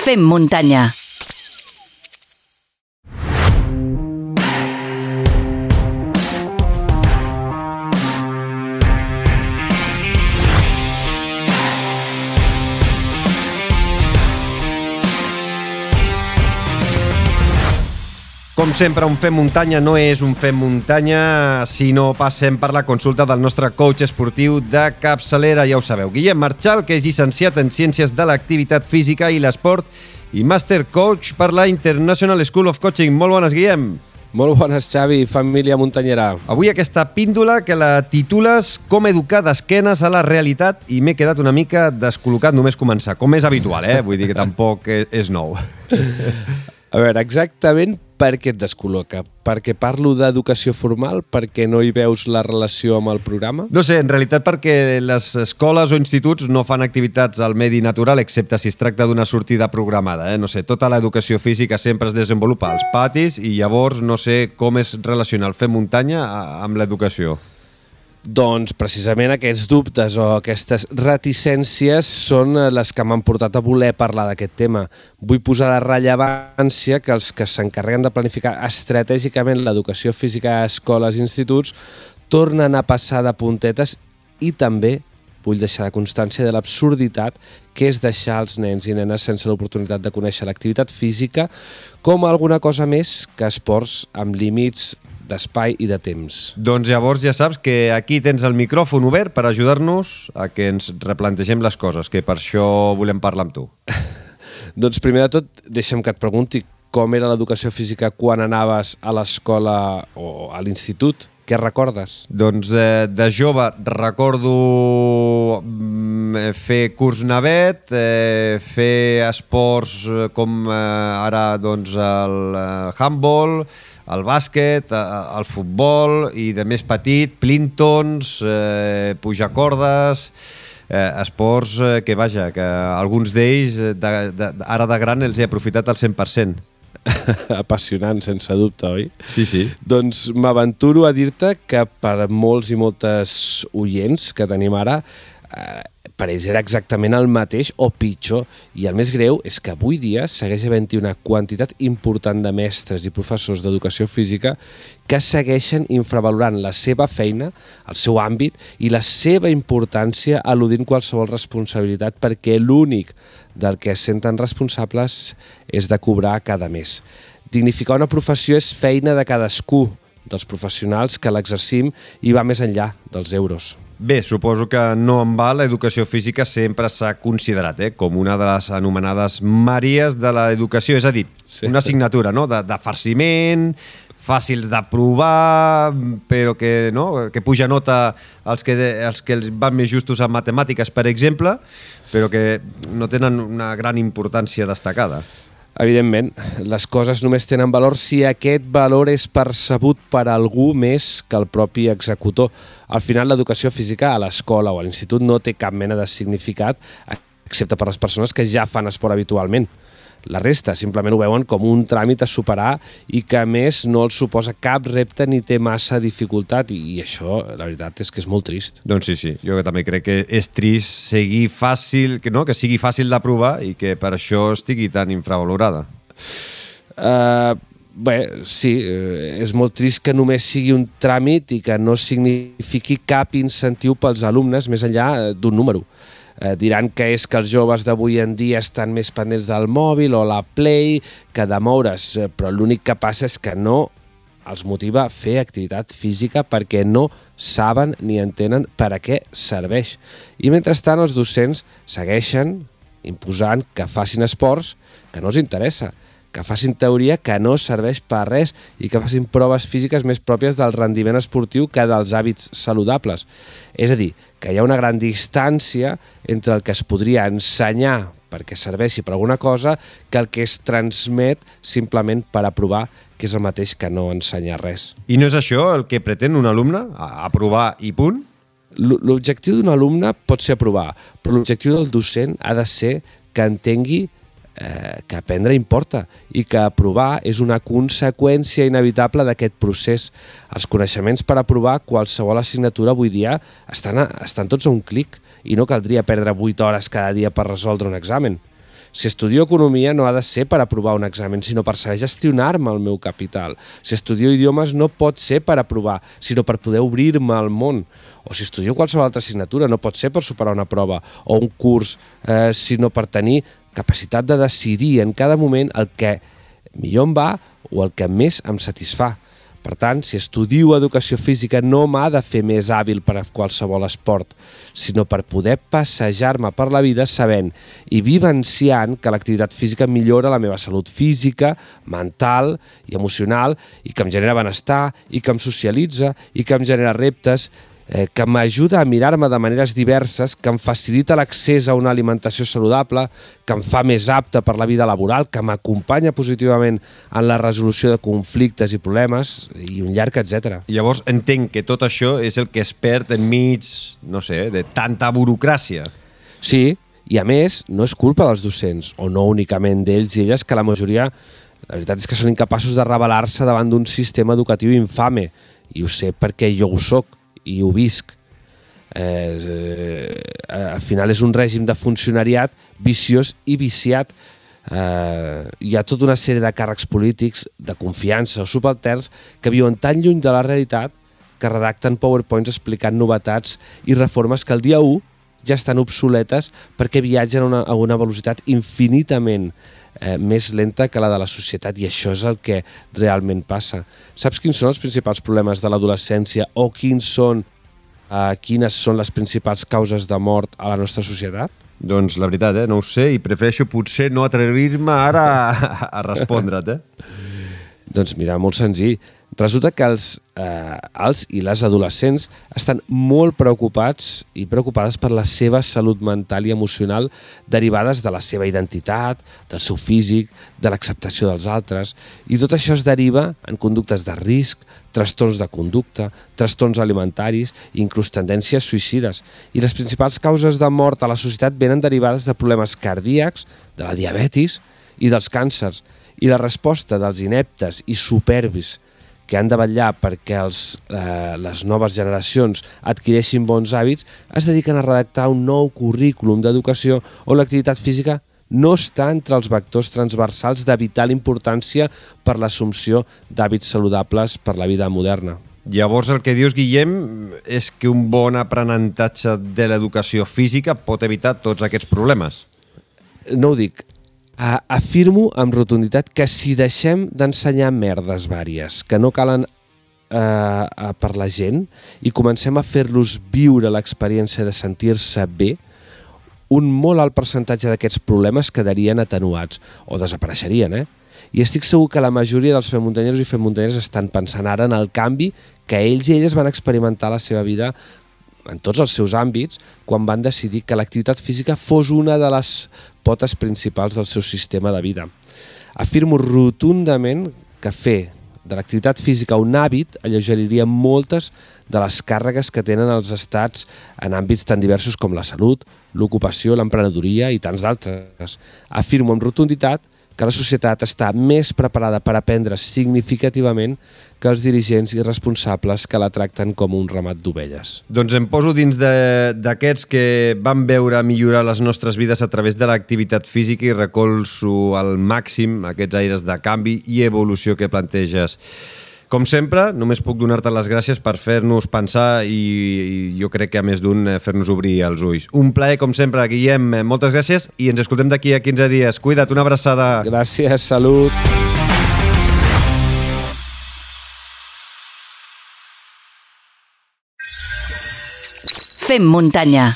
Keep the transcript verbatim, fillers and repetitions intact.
Fem muntanya. Com sempre, un Fem Muntanya no és un Fem Muntanya si no passem per la consulta del nostre coach esportiu de capçalera, ja ho sabeu. Guillem Marchal, que és llicenciat en Ciències de l'Activitat Física i l'Esport i Master Coach per la International School of Coaching. Molt bones, Guillem. Molt bones, Xavi, família muntanyera. Avui aquesta píndola que la titules Com educar d'esquenes a la realitat i m'he quedat una mica descol·locat només començar, com és habitual, eh? Vull dir que tampoc és nou. A veure, exactament per què et descol·loca? Perquè parlo d'educació formal? Perquè no hi veus la relació amb el programa? No sé, en realitat perquè les escoles o instituts no fan activitats al medi natural, excepte si es tracta d'una sortida programada. Eh? No sé, tota l'educació física sempre es desenvolupa als patis i llavors no sé com es relaciona el fer muntanya amb l'educació. Doncs precisament aquests dubtes o aquestes reticències són les que m'han portat a voler parlar d'aquest tema. Vull posar la rellevància que els que s'encarreguen de planificar estratègicament l'educació física a escoles i instituts tornen a passar de puntetes i també vull deixar de constància de l'absurditat que és deixar els nens i nenes sense l'oportunitat de conèixer l'activitat física com alguna cosa més que esports amb límits d'espai i de temps. Doncs llavors ja saps que aquí tens el micròfon obert per ajudar-nos a que ens replantegem les coses, que per això volem parlar amb tu. Doncs primer de tot, deixa'm que et pregunti com era l'educació física quan anaves a l'escola o a l'institut. Què recordes? Doncs eh, de jove recordo fer curs navet, eh, fer esports com eh, ara doncs, el eh, handball, el bàsquet, el futbol i de més petit, plintons, eh, pujar cordes, eh, esports eh, que, vaja, que alguns d'ells de, de, ara de gran els he aprofitat al cent per cent. Apassionant, sense dubte, oi? Sí, sí. Doncs m'aventuro a dir-te que per molts i moltes oients que tenim ara, eh, per ells era exactament el mateix o pitjor. I el més greu és que avui dia segueix havent-hi una quantitat important de mestres i professors d'educació física que segueixen infravalorant la seva feina, el seu àmbit i la seva importància eludint qualsevol responsabilitat perquè l'únic del que es senten responsables és de cobrar cada mes. Dignificar una professió és feina de cadascú, dels professionals que l'exercim i va més enllà dels euros. Bé, suposo que no en va l'educació física sempre s'ha considerat eh, com una de les anomenades Maries de l'educació, és a dir, sí. Una assignatura no? de, de farciment, fàcils d'aprovar, però que, no? que puja nota als que, als que els van més justos en matemàtiques, per exemple, però que no tenen una gran importància destacada. Evidentment, les coses només tenen valor si aquest valor és percebut per algú més que el propi executor. Al final, l'educació física a l'escola o a l'institut no té cap mena de significat, excepte per les persones que ja fan esport habitualment. La resta simplement ho veuen com un tràmit a superar i que, a més, no els suposa cap repte ni té massa dificultat i això, la veritat, és que és molt trist. Doncs sí, sí. Jo també crec que és trist seguir fàcil, que, no? que sigui fàcil d'aprovar i que per això estigui tan infravalorada. Uh, bé, sí, és molt trist que només sigui un tràmit i que no signifiqui cap incentiu pels alumnes més enllà d'un número. Eh, diran que és que els joves d'avui en dia estan més pendents del mòbil o la Play que de moure's, però l'únic que passa és que no els motiva a fer activitat física perquè no saben ni entenen per a què serveix. I mentrestant els docents segueixen imposant que facin esports que no els interessa, que facin teoria que no serveix per res i que facin proves físiques més pròpies del rendiment esportiu que dels hàbits saludables. És a dir, que hi ha una gran distància entre el que es podria ensenyar perquè serveixi per alguna cosa que el que es transmet simplement per aprovar, que és el mateix que no ensenyar res. I no és això el que pretén un alumne? Aprovar i punt? L'objectiu d'un alumne pot ser aprovar, però l'objectiu del docent ha de ser que entengui Eh, que aprendre importa i que aprovar és una conseqüència inevitable d'aquest procés. Els coneixements per aprovar qualsevol assignatura avui dia estan, a, estan tots a un clic i no caldria perdre vuit hores cada dia per resoldre un examen. Si estudio economia no ha de ser per aprovar un examen, sinó per saber gestionar-me el meu capital. Si estudio idiomes no pot ser per aprovar, sinó per poder obrir-me al món. O si estudio qualsevol altra assignatura no pot ser per superar una prova o un curs, eh, sinó per tenir capacitat de decidir en cada moment el que millor em va o el que més em satisfà. Per tant, si estudio educació física no m'ha de fer més hàbil per a qualsevol esport, sinó per poder passejar-me per la vida sabent i vivenciant que l'activitat física millora la meva salut física, mental i emocional, i que em genera benestar, i que em socialitza, i que em genera reptes, eh, que m'ajuda a mirar-me de maneres diverses, que em facilita l'accés a una alimentació saludable, que em fa més apte per la vida laboral, que m'acompanya positivament en la resolució de conflictes i problemes, i un llarg etcètera. Llavors entenc que tot això és el que es perd enmig, no sé, de tanta burocràcia. Sí, i a més, no és culpa dels docents, o no únicament d'ells i elles, que la majoria, la veritat és que són incapaços de rebel·lar-se davant d'un sistema educatiu infame, i ho sé perquè jo ho soc, i ho visc. Eh, eh, al final és un règim de funcionariat viciós i viciat. Eh, hi ha tota una sèrie de càrrecs polítics, de confiança o subalterns que viuen tan lluny de la realitat que redacten powerpoints explicant novetats i reformes que el dia u ja estan obsoletes perquè viatgen a una, a una velocitat infinitament eh, més lenta que la de la societat, i això és el que realment passa. Saps quins són els principals problemes de l'adolescència o quins són, eh, quines són les principals causes de mort a la nostra societat? Doncs la veritat, eh, no ho sé, i prefereixo potser no atrevir-me ara a, a respondre't. Eh? Doncs mira, molt senzill. Resulta que els, eh, els i les adolescents estan molt preocupats i preocupades per la seva salut mental i emocional derivades de la seva identitat, del seu físic, de l'acceptació dels altres, i tot això es deriva en conductes de risc, trastorns de conducta, trastorns alimentaris i inclús tendències suïcides. I les principals causes de mort a la societat venen derivades de problemes cardíacs, de la diabetis i dels càncers. I la resposta dels ineptes i superbis que han de vetllar perquè els, eh, les noves generacions adquireixin bons hàbits es dediquen a redactar un nou currículum d'educació on l'activitat física no està entre els vectors transversals de vital importància per l'assumpció d'hàbits saludables per la vida moderna. Llavors el que dius, Guillem, és que un bon aprenentatge de l'educació física pot evitar tots aquests problemes. No ho dic. Afirmo amb rotunditat que si deixem d'ensenyar merdes vàries que no calen eh, per la gent i comencem a fer-los viure l'experiència de sentir-se bé, un molt alt percentatge d'aquests problemes quedarien atenuats o desapareixerien, eh? I estic segur que la majoria dels femuntanyeros i femuntanyeres estan pensant ara en el canvi que ells i elles van experimentar a la seva vida en tots els seus àmbits, quan van decidir que l'activitat física fos una de les potes principals del seu sistema de vida. Afirmo rotundament que fer de l'activitat física un hàbit alleugeriria moltes de les càrregues que tenen els estats en àmbits tan diversos com la salut, l'ocupació, l'emprenedoria i tants d'altres. Afirmo amb rotunditat que la societat està més preparada per aprendre significativament que els dirigents i responsables que la tracten com un ramat d'ovelles. Doncs em poso dins d'aquests que van veure millorar les nostres vides a través de l'activitat física i recolzo al màxim aquests aires de canvi i evolució que planteges. Com sempre, només puc donar-te les gràcies per fer-nos pensar i, i jo crec que a més d'un fer-nos obrir els ulls. Un plaer, com sempre, Guillem. Moltes gràcies i ens escoltem d'aquí a quinze dies. Cuida't, una abraçada. Gràcies, salut. Fem muntanya.